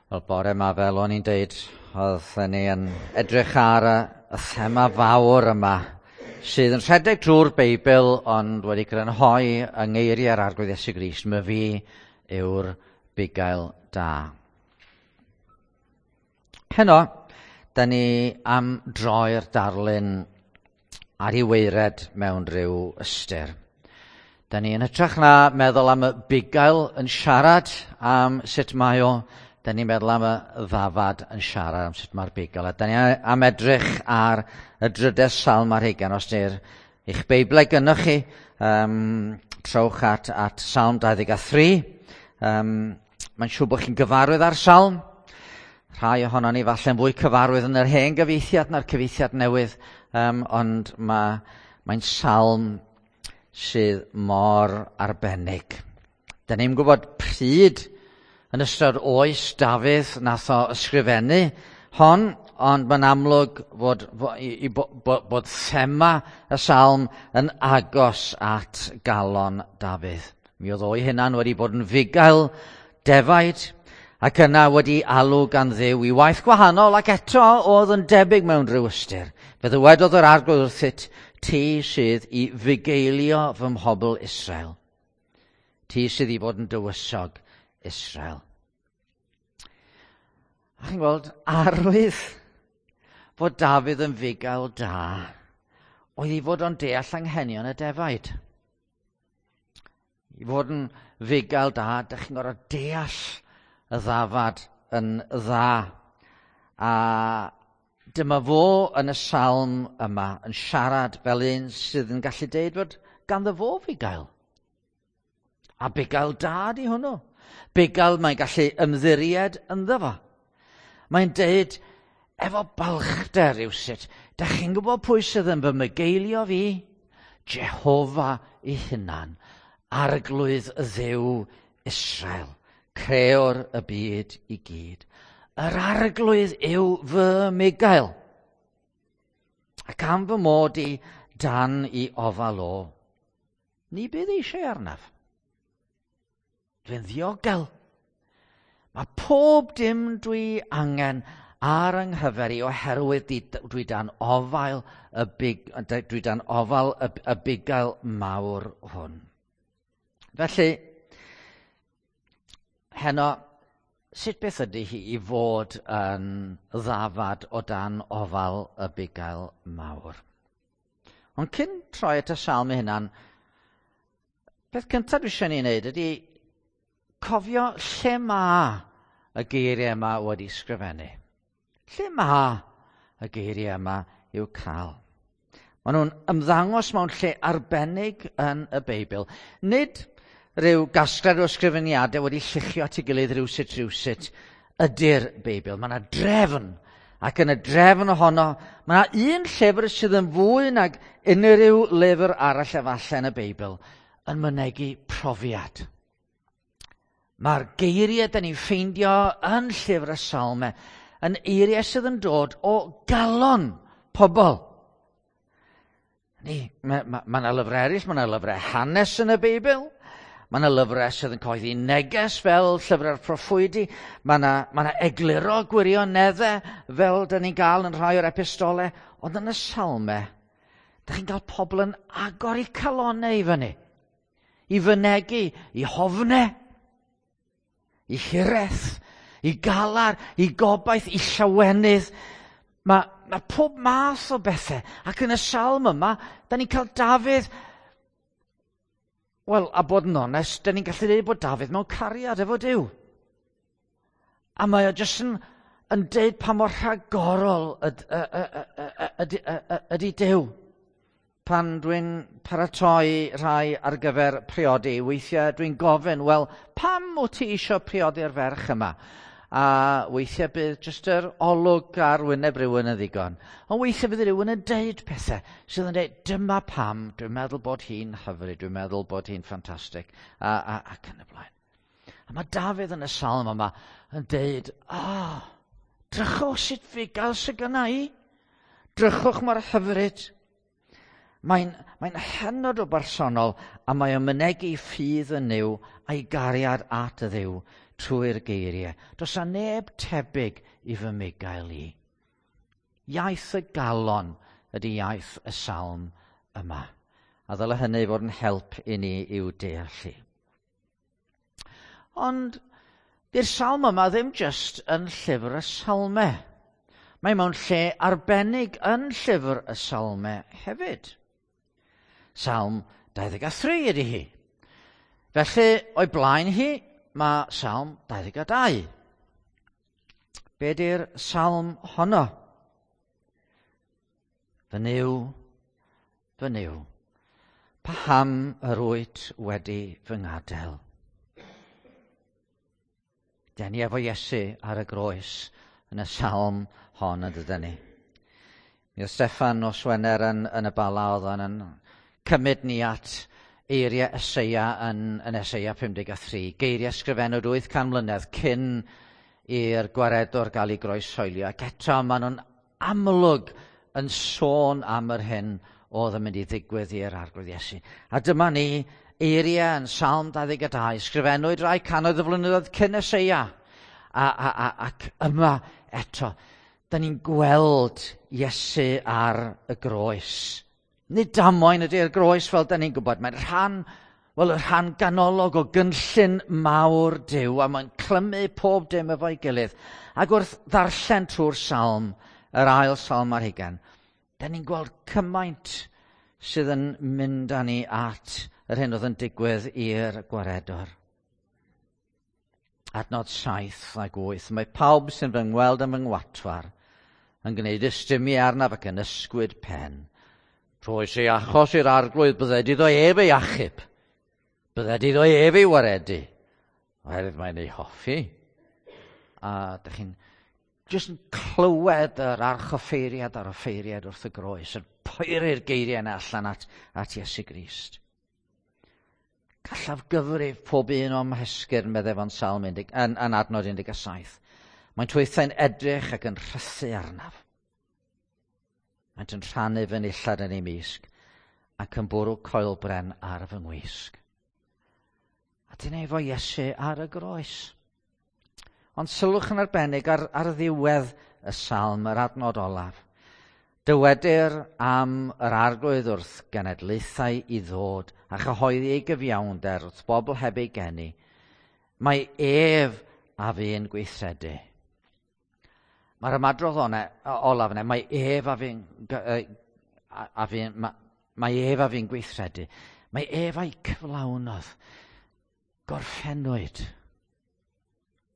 Wel, bore yma, fel o'n i'n deud, oedden ni yn edrych ar y, y thema fawr yma sydd yn rhedeg drwy'r Beibl ond wedi grynhoi yng ngeiriau'r Arglwydd Iesu Grist, my fi yw'r bugail da. Heno, da ni am droi'r darlun ar ei weired mewn rhyw ystyr. Da ni yn hytrach na meddwl am y bugail yn siarad am sut mae o, da ni'n meddwl am y ddafad yn siarad am sut mae'r bugail. A da ni am edrych ar y drydedd salm ar hugain, os di'r eich Beiblau gynnoch chi, trowch at, at Salm 23. Mae'n siŵr bod chi'n gyfarwydd â'r salm. Rhai ohonon ni falle'n fwy cyfarwydd yn yr hen gyfieithiad na'r cyfieithiad newydd, ond mae'n mae salm sydd mor arbennig. Da ni'n gwybod pryd yn ystod oes Dafydd nath o ysgrifennu hon, ond mae'n amlwg fod, i, bod, bod thema y salm yn agos at galon Dafydd. Mi oedd o'i hunan wedi bod yn fugail defaid, ac yna wedi alw gan Dduw i waith gwahanol ac eto oedd yn debyg mewn rhyw ystyr. Fe ddywedodd yr Arglwydd wrthyt, ti sydd i fugeilio fy mhobl Israel. Ti sydd i fod yn dywysog Israel. A chi'n gweld arwydd fod Dafydd yn fugail da oedd i fod o'n deall anghenion y defaid. I fod yn fugail da, dych chi'n gorfod deall y ddafad yn dda. A dyma fo yn y salm yma yn siarad fel un sydd yn gallu deud fod ganddo fo fugail. A bugail da di hwnnw. Bugail mae'n gallu ymddiried ynddo fo. Mae'n deud efo balchder rywsut, da chi'n gwybod pwy sydd yn fy mygeilio fi? Jehofa ei hunan, Arglwydd y Dduw Israel, creor y byd i gyd. Yr Arglwydd yw fy mugail. Ac am fy mod i dan i ofal o, ni bydd eisiau arnaf. Dwi'n ddiogel. Mae pob dim dwi angen ar yng nghyfer i oherwydd di, dwi dan ofal y, big, dwi dan ofal y, y bugail mawr hwn. Felly, heno, sut beth ydy hi i fod yn ddafad o dan ofal y bugail mawr? Ond cyn troi at y salm ei hunan, peth cyntaf dwi eisiau ni wneud ydy cofio lle mae y geiriau yma wedi sgrifennu. Lle mae y geiriau yma i'w cael? Maen nhw'n ymddangos mewn lle arbennig yn y Beibl. Nid rhyw gasgliad o ysgrifeniadau wedi lluchio at ei gilydd rhywsut rhywsut ydy'r Beibl. Mae yna drefn, ac yn y drefn ohono, mae yna un llyfr sydd yn fwy nag unrhyw lyfr arall efallai yn y Beibl yn mynegi profiad. Mae'r geiriau da ni'n ffeindio yn llyfr y Salmau yn eiriau sydd yn dod o galon pobl. Ni, mae ma, ma yna lyfrau eraill, mae yna lyfrau hanes yn y Beibl, mae yna lyfrau sydd yn cyhoeddi neges fel llyfrau'r proffwydi, mae yna, ma yna egluro gwirioneddau fel da ni'n gael yn rhai o'r epistolau, ond yn y Salmau, da chi'n cael pobl yn agor eu calonau i fyny, i fynegi, i hofnau, i hiraeth, i galar, i gobaith, i llawenydd. Mae, mae pob math o bethau. Ac yn y salm yma, da ni'n cael Dafydd... Wel, a bod yn onest, da ni'n gallu dweud bod Dafydd mewn cariad efo Duw. A mae o jyst yn, yn deud pa mor rhagorol ydy Duw. Pan dwi'n paratoi rhai ar gyfer priodi, weithiau dwi'n gofyn, wel, pam wyt ti eisiau priodi'r ferch yma? A weithiau bydd jyst yr olwg ar wyneb rhywun yn ddigon. Ond weithiau bydd rhywun yn deud pethau sydd yn deud, dyma pam, dwi'n meddwl bod hi'n hyfryd, dwi'n meddwl bod hi'n ffantastig, a, a, ac yn y blaen. A mae Dafydd yn y salm yma yn deud, oh, drychwch sut fugail sydd gynna i. Drychwch mor hyfryd. Mae'n mae hynod o bersonol a mae o'n mynegi ffydd yn Nuw a'i gariad at y Dduw. trwy'r geiriau. Does 'na neb tebyg i fy mugail i. Iaith y galon ydy iaith y salm yma. A ddyle hynny fod yn help i ni i'w deall hi. Ond di'r salm yma ddim jyst yn llyfr y salmau. Mae mewn lle arbennig yn llyfr y salmau hefyd. Salm 23 ydy hi. Felly, o'i blaen hi, mae Salm 22. Be di'r salm honno? Fy Nuw, fy Nuw, paham yr wyt wedi fy ngadael? Den ni efo Iesu ar y groes yn y salm hon yn dydyn ni. Mi oedd Steffan nos Wener yn y Bala oedd o'n yn cymryd ni at eiriau Eseia yn Eseia 53, geiriau sgrifennwyd 800 mlynedd cyn i'r gwaredwr gael ei groeshoelio, ac eto maen nhw'n amlwg yn sôn am yr hyn oedd yn mynd i ddigwydd i'r Arglwydd Iesu. A dyma ni, eiriau yn Salm 22, sgrifennwyd rai cannoedd o flynyddoedd cyn Eseia. Ac yma eto, da ni'n gweld Iesu ar y groes. Nid damwain ydy'r groes fel da ni'n gwybod, mae'n rhan, wel, y rhan ganolog o gynllun mawr Duw, a mae'n clymu pob dim efo'i gilydd. Ac wrth ddarllen trwy'r salm, yr ail salm ar hugain, da ni'n gweld cymaint sydd yn mynd â ni at yr hyn oedd yn digwydd i'r gwaredwr. Adnod 7 ac 8. Mae pawb sy'n fy ngweld yn fy ngwatwar yn gwneud ystumiau arnaf ac yn ysgwyd pen. Rhoes ei achos i'r Arglwydd, bydded iddo ef ei achub. Bydded iddo ef ei waredu. Oherwydd mae'n ei hoffi. A dych chi'n jyst yn clywed yr archoffeiriad a'r offeiriad wrth y groes yn poeri'r geiriau yna allan at Iesu Grist. Gallaf gyfrif pob un o'm hesgyrn, meddai fo'n Salm yn adnod 17. Mae'n twythau'n edrych ac yn rhythu arnaf. Maent yn rhannu fy nillad yn ei misg ac yn bwrw coelbren ar fy ngwisg. A dyna efo Iesu ar y groes. Ond sylwch yn arbennig ar ddiwedd y salm, yr adnod olaf. Dywedir am yr Arglwydd wrth genedlaethau i ddod a chyhoeddi ei gyfiawnder wrth bobl heb ei geni. Mae ef a fu'n gweithredu. Mae'r ymadrodd olaf yna, mae ef a fu'n mae ef a fu'n gweithredu. Mae ef a'i cyflawnodd. Gorffennwyd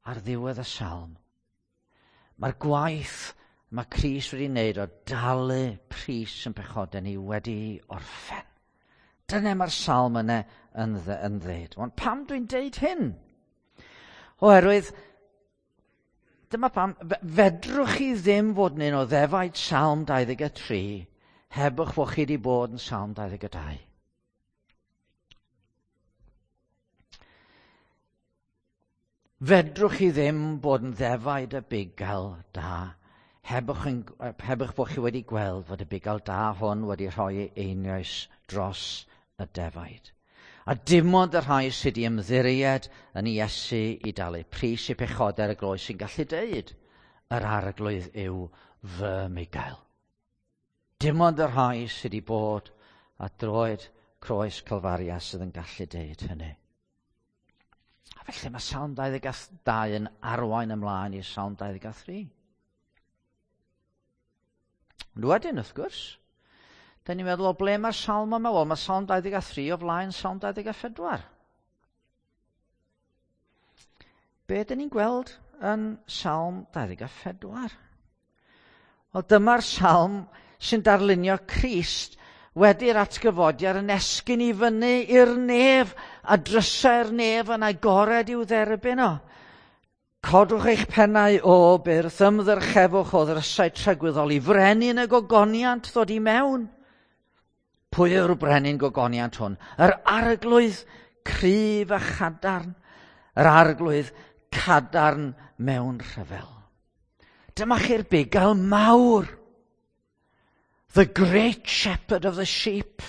ar ddiwedd y salm. Mae'r gwaith mae Crist wedi wneud o dalu pris yn pechodau ni wedi orffen. Dyna mae'r salm yna yn ddeud. Ond pam dwi'n deud hyn? Oherwydd, dyma pam, fedrwch chi ddim fod yn un o ddefaid Salm 23 heb eich bod chi wedi bod yn Salm 22. Fedrwch chi ddim bod yn ddefaid y bugail da heb eich bod chi wedi gweld fod y bugail da hwn wedi rhoi ei einioes dros y defaid. A dim ond y rhai sydd wedi ymddiried yn Iesu i dalu pris eu pechodau ar y groes sy'n gallu deud yr Arglwydd yw fy mugail. Dim ond y rhai sydd wedi bod at droed croes Calfaria sydd yn gallu deud hynny. A felly mae Salm 22 yn arwain ymlaen i Salm 23. Ond wedyn, wrth gwrs, da ni'n meddwl o ble mae'r salm yma? Wel, mae Salm 23 o flaen Salm 24. Be dyn ni'n gweld yn Salm 24? Wel, dyma'r salm sy'n darlunio Crist wedi'r atgyfodiad yn esgyn i fyny i'r nef a drysau'r nef yn agored i'w dderbyn o. Codwch eich pennau o byrth, ymddyrchefwch o ddrysau tragwyddol i frenin y gogoniant ddod i mewn. Pwy yw'r brenin gogoniant hwn? Yr Arglwydd cryf a chadarn, yr Arglwydd cadarn mewn rhyfel. Dyma chi'r bugail mawr. The great shepherd of the sheep.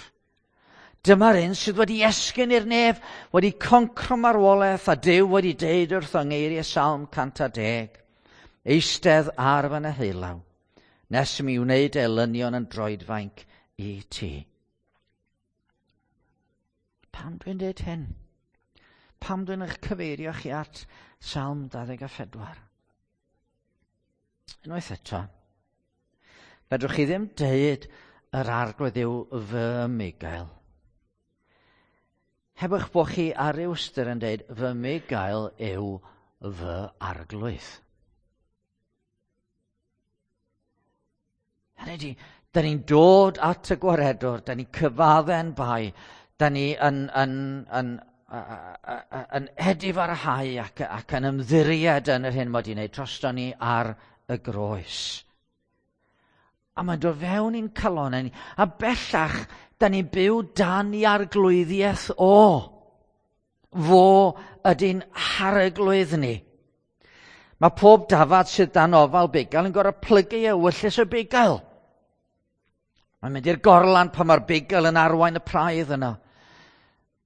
Dyma'r un sydd wedi esgyn i'r nef, wedi concro marwolaeth, a Duw wedi deud wrth yng ngeiriau Salm 110, eistedd ar fy neheulaw, nes i mi wneud elynion yn droedfainc i ti. Pam dwi'n dweud hyn? Pam dwi'n eich cyfeirio chi at Salm 24? Unwaith eto, fedrwch chi ddim deud yr arglwydd yw fy migael. Heb eich bod chi ar ryw ystyr yn deud fy migael yw fy arglwydd. Hynny ydi, da ni'n dod at y gwaredwr, da ni'n cyfadde'n bai, da ni yn, yn, yn, yn edifarhau ac, ac yn ymddiried yn yr hyn mod i'n neud drosto ni ar y groes. A mae'n dod fewn i'n calonau ni. A bellach, da ni'n byw dan i arglwyddiaeth o. Fo ydy'n harglwydd ni. Mae pob dafad sydd dan ofal bugail yn gorfod plygu ewyllys y bugail. Mae'n mynd i'r gorlan pan mae'r bugail yn arwain y praidd yno.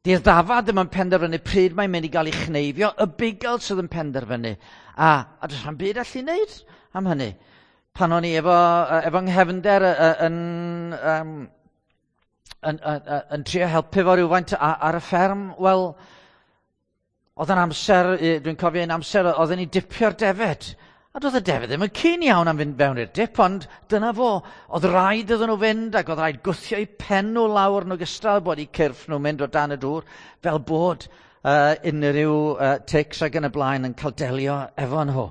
Di'r ddafad ddim yn penderfynu pryd mae'n mynd i gael ei chneifio, y bugail sydd yn penderfynu. A, a does rhan byd allu wneud am hynny. Pan o'n i efo, efo nghefnder yn, um, yn, yn, yn, trio helpu fo rhywfaint ar y fferm, wel, oedd yn amser, dwi'n cofio un amser, oedden ni dipio'r defed. A doedd y defed ddim yn cyn iawn am fynd fewn i'r dip, ond dyna fo. Oedd rhaid iddyn nhw fynd ac oedd rhaid gwthio eu pen nhw lawr yn ogystal bod eu cyrff nhw'n mynd o dan y dŵr, fel bod uh, unrhyw uh, tics ac yn y blaen yn cael delio efo nhw.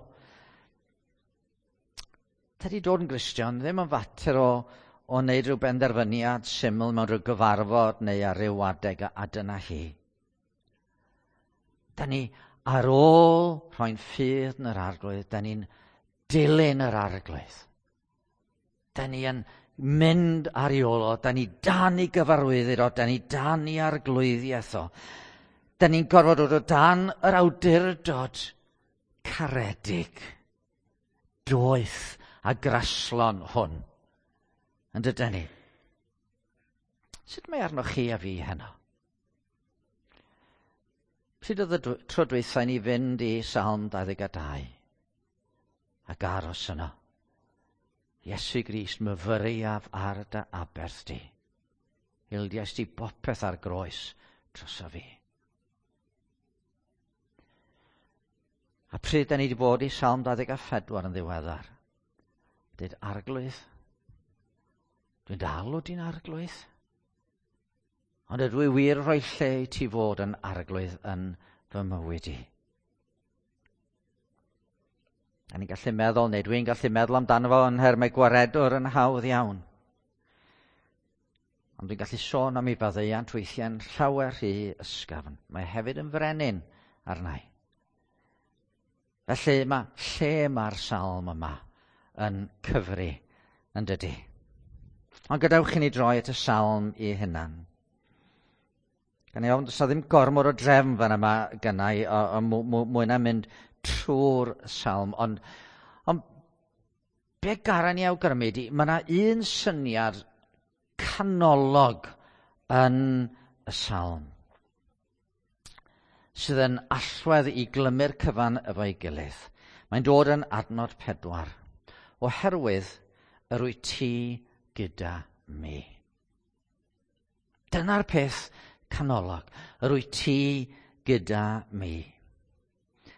Tydi dod yn Gristion ddim yn fater o, o wneud rhyw benderfyniad syml mewn rhyw gyfarfod neu ar ryw adeg a, a dyna hi. Da ni ar ôl rhoi'n ffydd yn yr arglwydd, da ni'n dilyn yr arglwydd. Da ni yn mynd ar ei ôl o, da ni dan i gyfarwyddyd o, da ni dan i arglwyddiaeth o. Da ni'n gorfod dod o dan yr awdurdod caredig, doeth a graslon hwn. Yn dydyn ni? Sut mae arnoch chi a fi heno? Pryd oedd y tro dwytha i ni fynd i Salm 22 ac aros yno? Iesu Grist, myfyriaf ar dy aberth di. Ildiais di bopeth ar groes droso fi. A pryd da ni wedi bod i Salm 24 yn ddiweddar? Dweud, arglwydd, dwi'n dal o di'n arglwydd. Ond ydw i wir rhoi lle i ti fod yn arglwydd yn fy mywyd i. A ni'n gallu meddwl, neu dwi'n gallu meddwl amdano fo yn nhermau gwaredwr yn hawdd iawn. Ond dwi'n gallu sôn am ei faddeuant weithiau'n llawer rhy ysgafn. Mae hefyd yn frenin arnau. Felly mae lle mae'r salm yma yn cyfri yn dydy. Ond gadewch i ni droi at y salm i hunan. Gan i ofn, does 'na ddim gormod o drefn fan yma gynnau, o, o mwy na mynd trwy'r salm, ond, ond be garan i awgrymu di, mae yna un syniad canolog yn y salm sydd yn allwedd i glymu'r cyfan efo'i gilydd. Mae'n dod yn adnod pedwar. Oherwydd yr wyt ti gyda mi. Dyna'r peth canolog. Yr wyt ti gyda mi.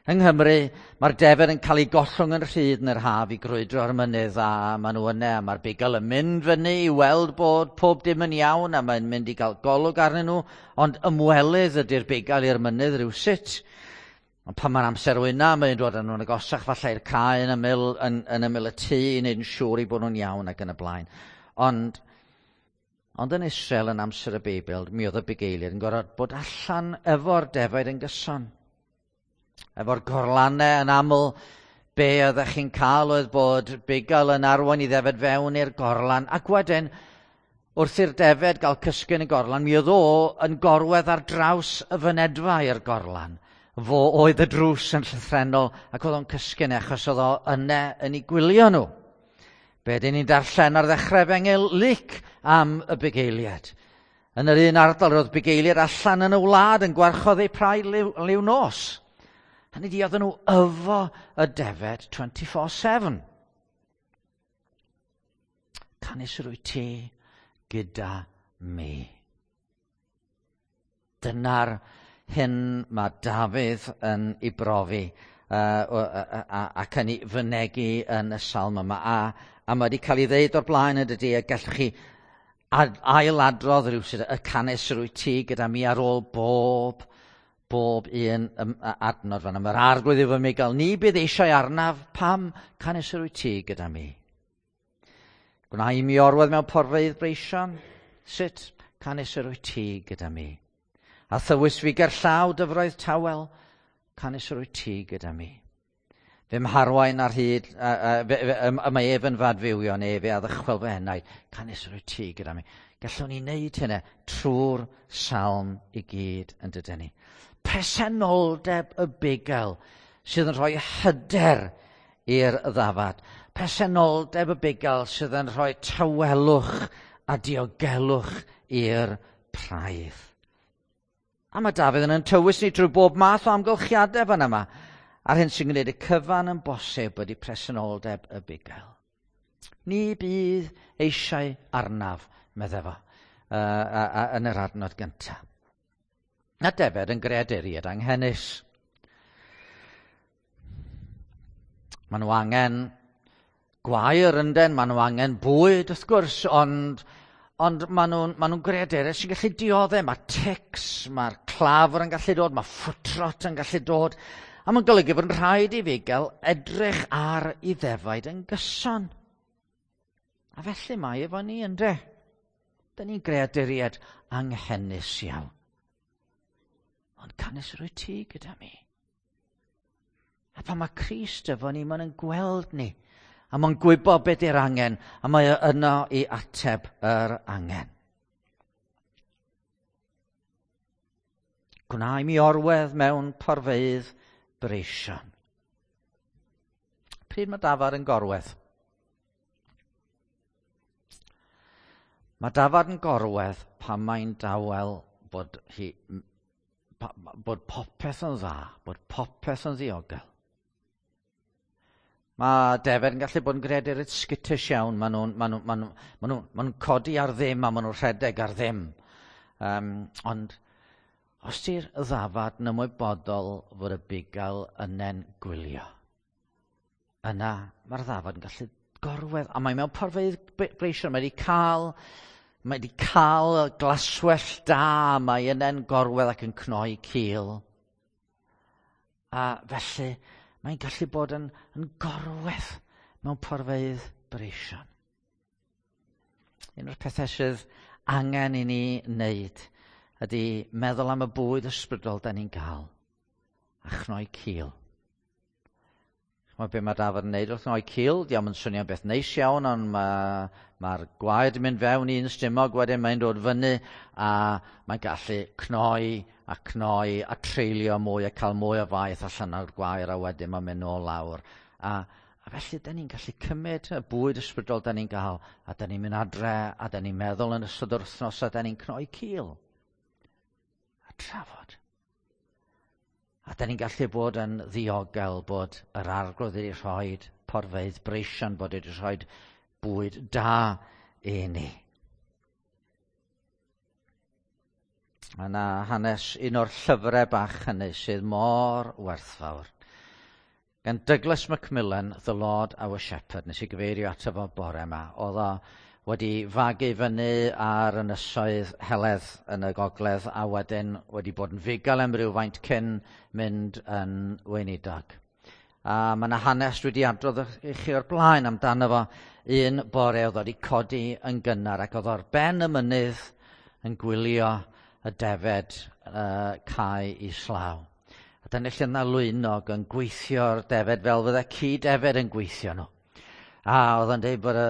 Yng Nghymru, mae'r defed yn cael ei gollwng yn rhydd yn yr haf i grwydro ar y mynydd a maen nhw yna a mae'r bugail yn mynd fyny i weld bod pob dim yn iawn a mae'n mynd i gael golwg arnyn nhw, ond ymwelydd ydy'r bugail i'r mynydd rhywsut. Ond pan mae'r amser wyna, mae'n dod â nhw'n agosach falle i'r cae yn ymyl, yn, yn ymyl y tŷ i wneud yn siŵr i bod nhw'n iawn ac yn y blaen. Ond Ond yn Israel yn amser y Beibl, mi oedd y bugeiliaid yn gorfod bod allan efo'r defaid yn gyson. Efo'r gorlannau yn aml, be oeddech chi'n cael oedd bod bugail yn arwain i ddefed fewn i'r gorlan, ac wedyn, wrth i'r defed gael cysgu yn y gorlan, mi oedd o yn gorwedd ar draws y fynedfa i'r gorlan. Fo oedd y drws yn llythrennol ac oedd o'n cysgu yna achos oedd o yna yn ei gwylio nhw. Be dyn ni'n darllen ar ddechrau Efengyl Luc am y bugeiliad. Yn yr un ardal roedd bugeiliaid allan yn y wlad yn gwarchod eu praidd liw nos. Hynny di, oedden nhw yfo y defed 24/7. Canys yr wyt ti gyda mi. Dyna'r hyn mae Dafydd yn ei brofi ac yn ei fynegi yn y salm yma. A mae wedi cael ei ddeud o'r blaen yn dydy, a gallwch chi ailadrodd rhywsut y canys yr wyt ti gyda mi ar ôl bob un adnod fan. Mae'r arglwydd yw fy mugail, ni bydd eisiau arnaf, pam canys yr wyt ti gyda mi? Gwna i mi orwedd mewn porfeydd breision, sut canys yr wyt ti gyda mi? A thywys fi gerllaw dyfroedd tawel, canys yr wyt ti gyda mi. Fe mharwain ar hyd, mae ef yn fadfywio, neu fe a ddychwel fy enaid, canys yr wyt ti gyda mi. Gallwn ni wneud hynny trwy'r salm i gyd yn dydyn ni. Presenoldeb y bugail sydd yn rhoi hyder i'r ddafad. Presenoldeb y bugail sydd yn rhoi tawelwch a diogelwch i'r praidd. A mae Dafydd yn tywys ni drwy bob math o amgylchiadau fan yma. A'r hyn sy'n gwneud y cyfan yn bosib ydy presenoldeb y bugail. Ni bydd eisiau arnaf, meddai fo, yn yr adnod gyntaf. Na defed yn greaduriaid anghenus. Maen nhw angen gwair ynden, maen nhw angen bwyd wrth gwrs, ond maen nhw'n greaduriaid sy'n gallu dioddef. Mae tics, mae'r clafr yn gallu dod, mae footrot yn gallu dod. A mae'n golygu bod yn rhaid i fugail edrych ar ei ddefaid yn gyson. A felly mae efo ni ynde. Dyn ni'n greaduriaid anghenus iawn. Ond canys yr wyt ti gyda mi. A pan mae Crist efo ni, mae'n gweld ni. A mae'n gwybod beth yw'r angen, a mae yno i ateb yr angen. Gwna i mi orwedd mewn porfeydd breision. Pryd mae dafad yn gorwedd? Mae dafad yn gorwedd pan mae'n dawel bod popeth yn dda, bod popeth yn ddiogel. Mae defed yn gallu bod yn greadurid skittish iawn. Maen nhw'n codi ar ddim a maen nhw'n rhedeg ar ddim. Ond os ti'r ddafad yn ymwybodol fod y bugail yna'n gwylio, yna mae'r ddafad yn gallu gorwedd. A mae mewn porfeydd breision, mae wedi cael glaswellt da, mae yna'n gorwedd ac yn cnoi cil. A felly mae'n gallu bod yn gorwedd mewn porfeydd breision. Un o'r pethau sydd angen i ni wneud ydy meddwl am y bwyd ysbrydol da ni'n gael a chnoi cil. Mae be mae dafad yn neud wrth chnoi cil, diolch yn swnio'n beth neis iawn, ond mae'r gwaed yn mynd fewn i un stumog, wedyn mae'n dod fyny a mae'n gallu cnoi a cnoi a treulio mwy a cael mwy o faeth allan o'r gwair a wedyn mae'n mynd nôl lawr. A felly, da ni'n gallu cymryd y bwyd ysbrydol da ni'n gael a da ni'n mynd adre a da ni'n meddwl yn ystod yr wythnos a da ni'n cnoi cil a trafod. A da ni'n gallu bod yn ddiogel bod yr arglwydd wedi rhoi porfeydd breision, bod wedi rhoi bwyd da i ni. Mae yna hanes un o'r llyfrau bach hynny sydd mor werthfawr. Gan Douglas Macmillan, The Lord Our Shepherd, nes i gyfeirio ato fo bore yma. Oedd o wedi fagu fyny ar ynysoedd Heledd yn y gogledd a wedyn wedi bod yn fugail am rywfaint cyn mynd yn weinidog. A mae yna hanes dwi wedi adrodd i chi o'r blaen amdano fo. Un bore oedd wedi codi yn gynnar ac oedd o'r ben y mynydd yn gwylio y defed cae islaw. A dyna lle yna lwynog yn gweithio'r defed fel fydde ci defed yn gweithio nhw. A oedd o'n dweud bod y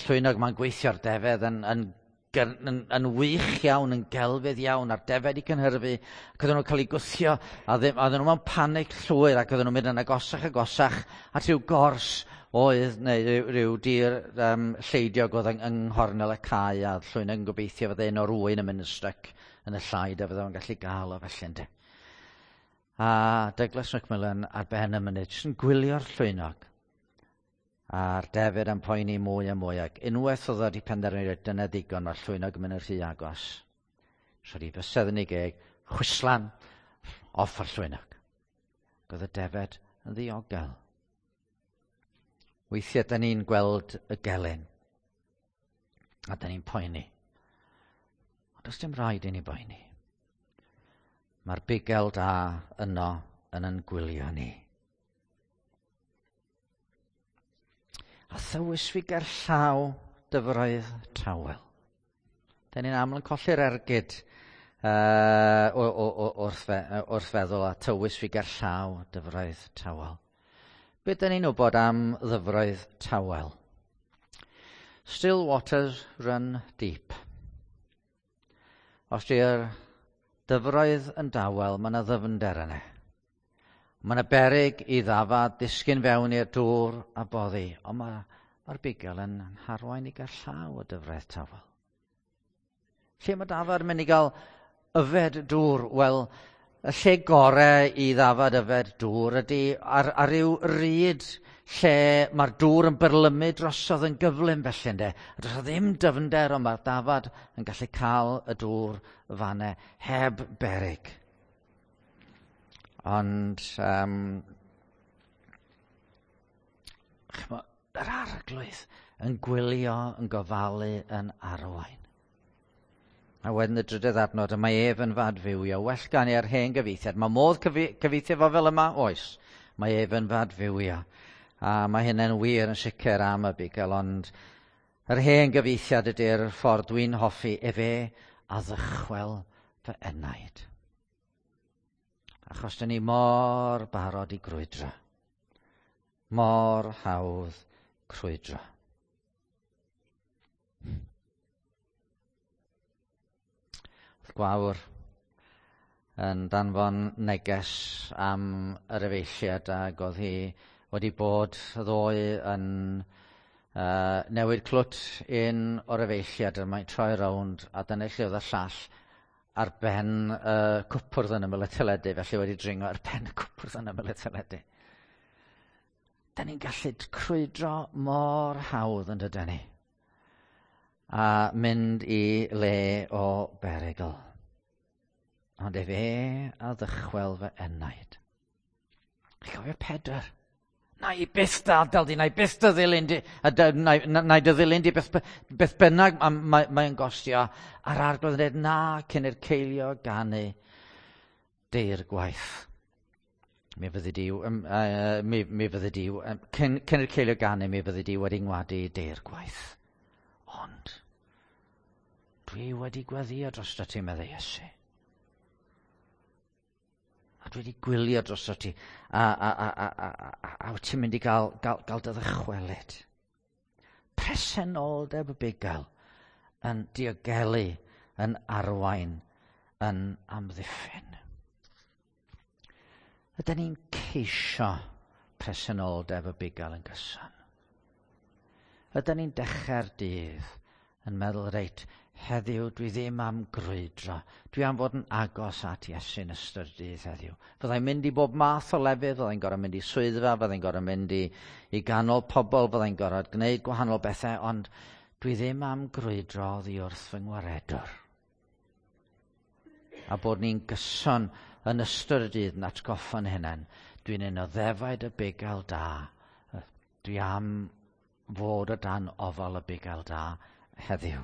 llwynog ma'n gweithio'r defed yn wych iawn, yn gelfydd iawn, a'r defed i cynhyrfu, ac oedden nhw'n cael eu gwthio, a oedden nhw mewn panic llwyr, ac oedden nhw'n mynd yn agosach agosach at ryw gors Oedd, neu rhyw dir lleidiog oedd yng nghornel y cae, a llwynog yn gobeithio fydde un o'r ŵyn yn mynd yn styc yn y llaid a fydde fo'n gallu gael o felly, ynde. A Douglas Macmillan ar ben y mynydd, jyst yn gwylio'r llwynog. A'r defyd yn poeni mwy a mwy, ac unwaith oedd wedi penderfynu, dyna ddigon, mae'r llwynog yn mynd yn rhy agos. Rhaid i fysedd yn ei geg, chwislan, off ar llwynog. Ac oedd y defed yn ddiogel. Weithiau, da ni'n gweld y gelyn, a da ni'n poeni. Ond does dim rhaid i ni boeni. Mae'r bugel da yno yn yn gwylio ni. A thywys fi ger llaw dyfroedd tawel. Da ni'n aml yn colli'r ergyd wrth feddwl a tywys fi ger llaw dyfroedd tawel. Be da ni'n wybod am ddyfroedd tawel? Still waters run deep. Os di'r dyfroedd yn dawel, mae yna ddyfnder yna. Mae yna beryg i ddafad ddisgyn fewn i'r dŵr a boddi, ond mae'r bugel yn harwain i gael llaw o dyfroedd tawel. Lle mae dafad yn mynd i gael yfed dŵr? Wel, y lle gore i ddafad yfed dŵr ydy ar ryw ryd lle mae'r dŵr yn byrlymu drosodd yn gyflym felly, ynde. A does ddim dyfnder, ond mae'r dafad yn gallu cael y dŵr fanne heb beryg. Ond yr Arglwydd yn gwylio, yn gofalu, yn arwain. A wedyn y drydydd adnod, y mae ef yn fadfywio. Well gan i ar hen gyfieithiad. Mae modd cyfieithu fo fel yma? Oes. Mae ef yn fadfywio. A mae hynny'n wir yn sicr am y bugel, ond yr hen gyfieithiad ydy'r ffordd dwi'n hoffi, efe a ddychwel fy enaid. Achos dyn ni mor barod i grwydro. Mor hawdd crwydro. Gwawr yn danfon neges am yr efeilliad, ac oedd hi wedi bod ddoe yn newid clwt un o'r efeilliad, a mae'n troi rownd, a dyna lle oedd y llall ar ben y cwpwrdd yn ymyl y teledu, felly wedi dringo ar ben y cwpwrdd yn ymyl y teledu. Da ni'n gallu crwydro mor hawdd yn dydyn ni, a mynd i le o berygl. Ond efe a ddychwel fy enaid. Chi'n cofio Pedr? Na i byth dy adael di, na i byth dy ddilyn di, a na i dy ddilyn di beth bynnag mae'n gostio. A'r Arglwydd yn dweud, na, cyn i'r ceilio ganu deir gwaith. Mi fyddi di, mi fyddi di, cyn i'r ceilio ganu, mi fyddi di wedi ngwadu deir gwaith. Ond dwi wedi gweddio drosto ti, meddai Iesu. A dwi wedi gwylio drosto ti, a wyt ti'n mynd i gael dy ddychwelyd. Presenoldeb y bugail yn diogelu, yn arwain, yn amddiffyn. Ydyn ni'n ceisio presenoldeb y bugail yn gyson? Ydyn ni'n dechrau'r dydd yn meddwl, reit, heddiw dwi ddim am grwydro. Dwi am fod yn agos at Iesu yn ystod y dydd heddiw. Fyddai'n mynd i bob math o lefydd, fyddai'n gorfod mynd i swyddfa, fyddai'n gorfod mynd i ganol pobl, fyddai'n gorfod gwneud gwahanol bethau, ond dwi ddim am grwydro oddi wrth fy ngwaredwr. A bod ni'n gyson yn ystod y dydd yn atgoffa'n hunain. Dwi'n un o ddefaid y bugail da. Dwi am fod o dan ofal y bugail da heddiw.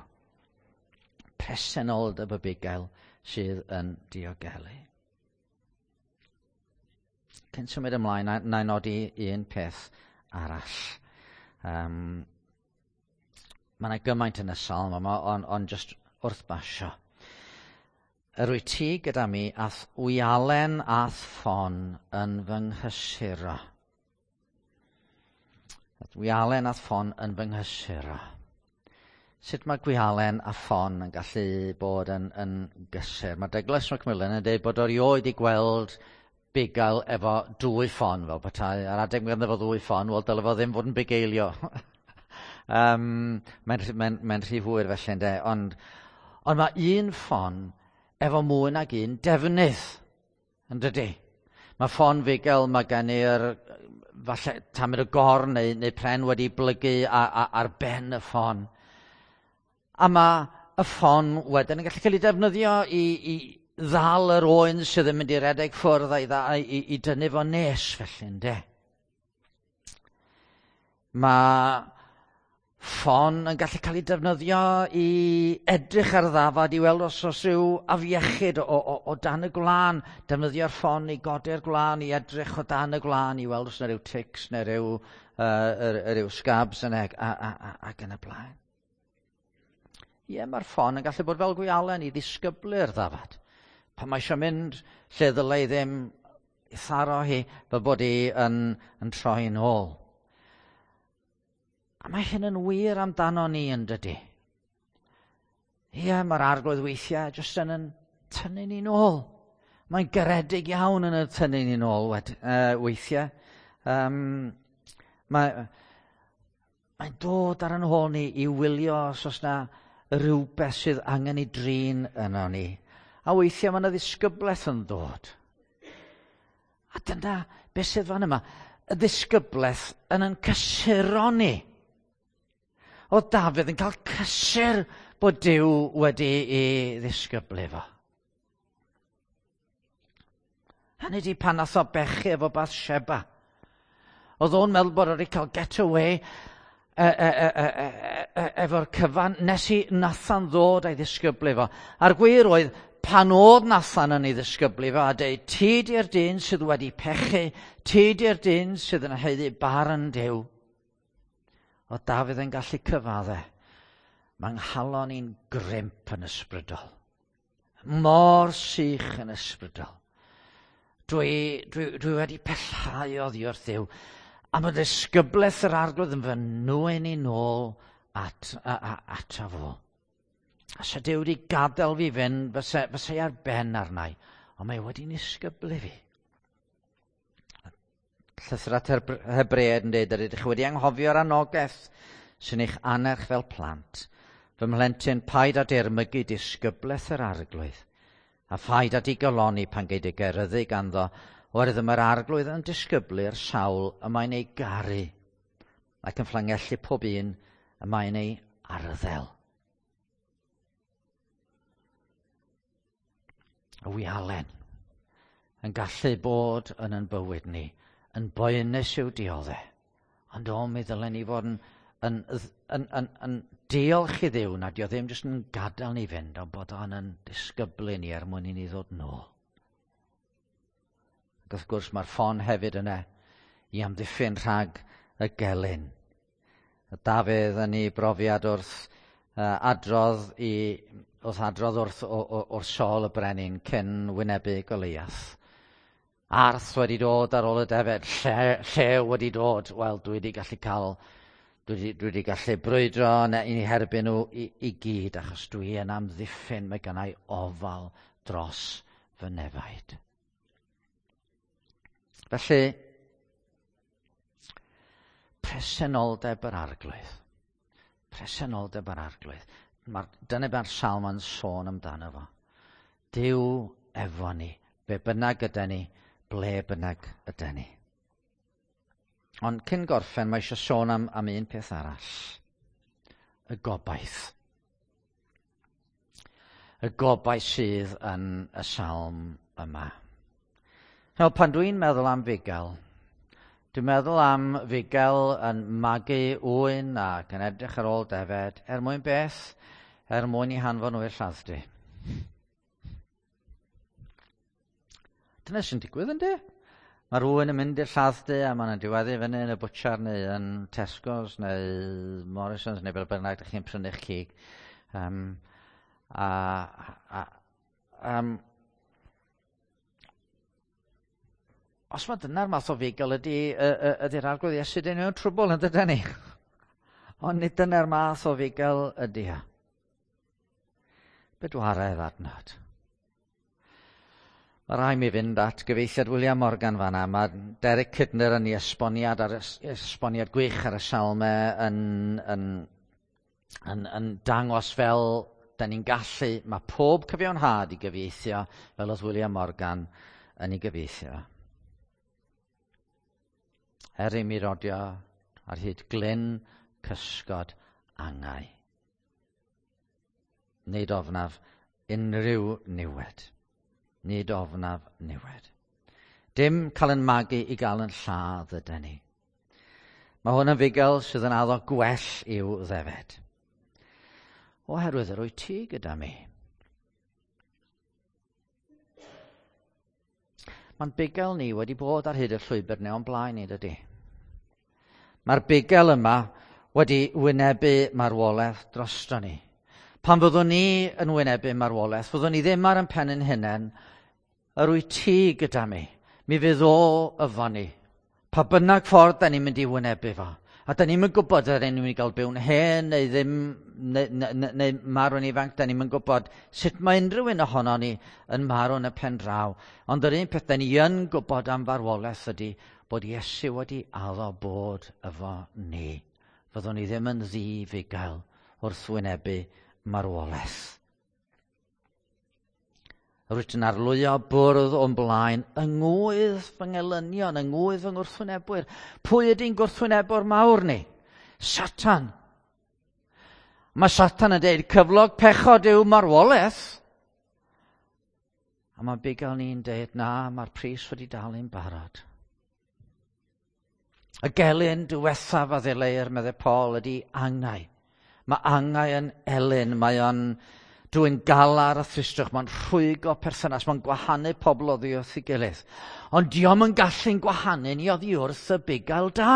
Presenoldeb y bugail sydd yn diogelu. Cyn symud ymlaen, na i nodi un peth arall. Mae yna gymaint yn y salm yma, ond just wrth basio. Yr wyt ti gyda mi a'th wialen a'th ffon yn fy nghysuro. A'th wialen a'th ffon yn fy nghysuro. Sut mae gwialen a ffon yn gallu bod yn gysur? Mae Douglas Macmillan yn dweud bod o erioed i gweld bugail efo dwy ffon fel petai. Ar adeg mae ganddo fo ddwy ffon, wel dyle fo ddim fod yn bugeilio. Mae'n rhy hwyr felly ynde, ond mae un ffon efo mwy nag un defnydd, yn dydy? Mae ffon fugail, mae gen i'r falle tamed o gorn neu pren wedi blygu ar ben y ffon. A mae y ffon wedyn yn gallu cael ei defnyddio i ddal yr oen sydd yn mynd i redeg ffwrdd a'i i dynnu fo nes felly, ynde? Mae ffon yn gallu cael ei defnyddio i edrych ar ddafad i weld os oes rhyw afiechyd o dan y gwlân. Defnyddio'r ffon i godi'r gwlân, i edrych o dan y gwlân, i weld os yna rhyw ticks neu rhyw scabs yna ac yn y blaen. Ie, mae'r ffon yn gallu bod fel gwialen i ddisgyblu'r ddafad. Pan mae eisiau mynd lle ddylai ddim, i tharo hi fel bod hi yn troi nôl. A mae hyn yn wir amdano ni yn dydy. Ie, mae'r Arglwydd weithiau jyst yn tynnu ni nôl. Mae'n garedig iawn yn y tynnu ni nôl weithiau. Mae'n dod ar yn hôl ni i wylio os oes na rhywbeth sydd angen ei drin yno ni. A weithiau mae yna ddisgyblaeth yn dod. A dyna beth sydd fan yma. Y ddisgyblaeth yn cysuro ni. Oedd Dafydd yn cael cysur bod Duw wedi ei ddisgyblu fo. Hynny di pan nath o bechu efo Bathsheba. Oedd o'n meddwl bod o wedi cael get away efo'r cyfan nes i Nathan ddod a'i ddisgyblu fo. A'r gwir oedd, pan oedd Nathan yn ei ddisgyblu fo a dweud, ti di'r dyn sydd wedi pechu, ti di'r dyn sydd yn haeddu barn Duw. Oedd Dafydd yn gallu cyfadde. Mae nghalon i'n grimp yn ysbrydol. Mor sych yn ysbrydol. Dwi wedi pellhau oddi wrth Dduw. A mae ddisgyblaeth yr Arglwydd yn fy nwyn i nôl ato fo. A se Duw wedi gadael fi fynd, fysa i ar ben arnau. Ond mae wedi nisgyblu fi. Llythyr at Hebreaid yn dweud, ydych chi wedi anghofio'r anogaeth sy'n eich annerch fel plant. Fy mhlentyn, paid â dirmygu disgyblaeth yr Arglwydd, a phaid â digalonni pan gei dy geryddu ganddo, oherwydd mae'r Arglwydd yn disgyblu'r sawl y mae'n ei garu, ac yn fflangellu pob un y mae'n ei arddel. Y wialen yn gallu bod yn bywyd ni, yn boenus i'w dioddau, ond o, mi ddylen ni fod yn diolch i Dduw nad dio ddim jyst yn gadael ni fynd, ond bod o'n yn disgyblu ni er mwyn i ni ddod nôl. Ac wrth gwrs mae'r ffon hefyd yna i amddiffyn rhag y gelyn. Dafydd yn ei brofiad wrth adrodd wrth Saul y brenin cyn wynebu Goliath. Arth wedi dod ar ôl y defed, llew wedi dod. Wel, dwi wedi gallu cael, dwi wedi gallu brwydro i herbyn nhw i gyd, achos dwi yn amddiffyn, mae gennai ofal dros fy nefaid. Felly, presenoldeb yr Arglwydd. Presenoldeb yr Arglwydd. Dyna mae'r salm yn sôn amdano fo. Duw efo ni, be bynnag yda ni, ble bynnag yda ni. Ond cyn gorffen, mae eisiau sôn am un peth arall. Y gobaith. Y gobaith sydd yn y salm yma. Nawr, pan dwi'n meddwl am fugail, dwi'n meddwl am fugail yn magu ŵyn ac yn edrych ar ôl defed, er mwyn beth? Er mwyn i hanfon nhw i'r lladd-dy. Dyna sy'n digwydd, yndi? Mae rhywun yn mynd i'r lladd-dy a maen nhw'n diweddu fyny yn y bwtsiar neu yn Tesco's neu Morrison's neu fel bynnag ydych chi'n prynu'ch cig. Os mae dyna'r math o fugail ydy'r Arglwydd Iesu, dyn nhw'n trwbl yn dydyn ni. Ond nid dyna'r math o fugail ydy o. Bedwaredd adnod. Mae rhaid mi fynd at gyfeithiad William Morgan fanna. Mae Derek Kidner yn ei esboniad, ar esboniad gwych ar y salmau yn dangos fel da ni'n gallu, mae pob cyfiawnhad i gyfieithio fel oedd William Morgan yn ei gyfieithio. Er i mi rodio ar hyd glyn cysgod angau. Nid ofnaf unrhyw niwed. Nid ofnaf niwed. Dim cael yn magu i gael yn lladd ydy ni. Mae hwn yn fugail sydd yn addo gwell i'w ddefed. Oherwydd yr wyt ti gyda mi. Mae'n bugail ni wedi bod ar hyd y llwybr neu o'n blaen ni, dydy. Mae'r bugail yma wedi wynebu marwolaeth drosto ni. Pan fyddwn ni yn wynebu marwolaeth, fyddwn ni ddim ar ein pen ein hunain, yr wyt ti gyda mi. Mi fydd o efo ni. Pa bynnag ffordd da ni'n mynd i wynebu fo. A da ni'n gwybod ydyn ni'n mynd i gael byw'n hen neu ddim, neu marw'n ifanc, da ni'n gwybod sut mae unrhyw un ohono ni yn marw yn y pen draw. Ond yr un peth da ni yn gwybod am farwolaeth ydy bod Iesu wedi addo bod efo ni. Fyddwn ni ddim yn ddi-fugail wrth wynebu marwolaeth. Rwyt yn arlwyo bwrdd o'n blaen yng ngwydd fy ngelynion, yng ngwydd fy ngwrthwynebwyr. Pwy ydy'n gwrthwynebwr mawr ni? Satan. Mae Satan yn dweud cyflog pechod yw marwolaeth. A mae bugail ni'n dweud na, mae'r pris wedi dalu'n barod. Y gelyn diwethaf a ddileir, meddai Paul, ydy angau. Mae angau yn elyn, mae o'n dwyn galar a thristwch, mae'n rhwygo perthynas, mae'n gwahanu pobl oddi wrth ei gilydd. Ond dio'm yn gallu'n gwahanu ni oddi wrth y bugail da.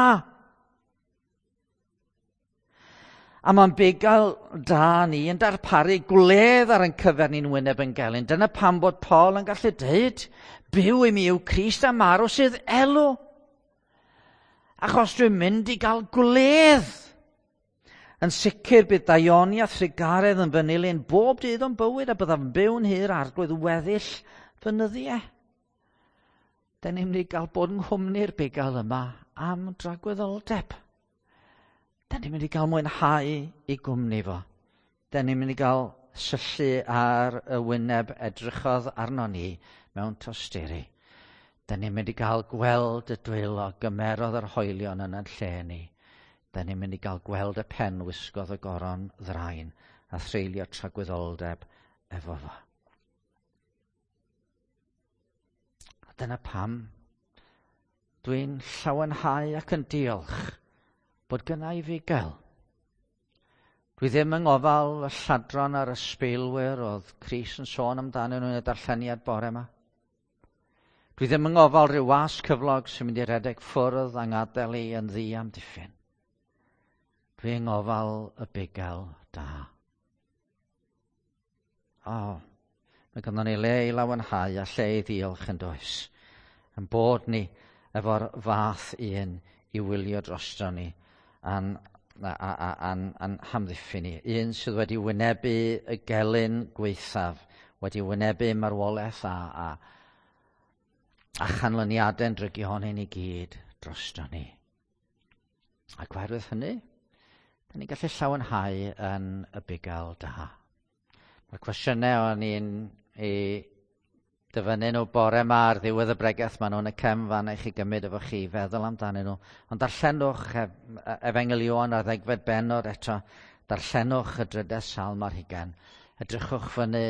A mae'n bugail da ni yn darparu gwledd ar ein cyfer ni'n wyneb yn gelyn. Dyna pam bod Paul yn gallu dweud, byw i mi yw Crist a marw sydd elw. Achos dwi'n mynd i gael gwledd. Yn sicr bydd daioni a thrugaredd yn fy nilyn bob dydd o'n bywyd a byddaf yn byw'n hir arglwydd weddill fy nyddiau. Da ni'n mynd i gael bod yng nghwmni'r bugail yma am dragwyddoldeb. Da ni'n mynd i gael mwynhau i gwmni fo. Da ni'n mynd i gael syllu ar y wyneb edrychodd arno ni mewn tosturi. Da ni'n mynd i gael gweld y dwylo gymerodd yr hoelion yn ein lle ni. Da ni'n mynd i gael gweld y pen wisgodd y goron ddrain a threulio tragwyddoldeb efo fo. A dyna pam dwi'n llawenhau ac yn diolch bod gynna i fugail. Dwi ddim yng ngofal y lladron a'r ysbeilwyr oedd Crist yn sôn amdanyn nhw yn y darlleniad bore yma. Dwi ddim yng ngofal rhyw was cyflog sy'n mynd i redeg ffwrdd a'n ngadael i yn ddi amddiffyn. Dwi yng ngofal y bugail da. O, mae ganddo ni le i lawenhau a lle i ddiolch yn does. Yn bod ni efo'r fath un i wylio drosto ni a'n hamddiffyn ni. Un sydd wedi wynebu y gelyn gwaethaf, wedi wynebu marwolaeth a chanlyniadau'n drygionyn i gyd drosto ni. Ac oherwydd hynny, da ni'n gallu llawenhau yn y bugail da. Mae'r cwestiynau o'n i'n ei dyfynnu nhw bore yma ar ddiwedd y bregeth, maen nhw'n y cefn fan i chi gymryd efo chi, feddwl amdanyn nhw. Ond darllenwch Efengyl Ioan ar ddegfed bennod eto, darllenwch y drydedd salm ar hugain. Edrychwch fyny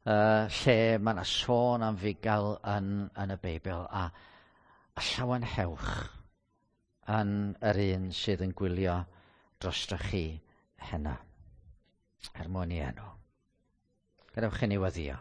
lle mae yna sôn am fugail yn y Beibl a llawenhewch yn yr un sydd yn gwylio drostoch chi heno, er mwyn i enw. Gadewch i ni weddïo.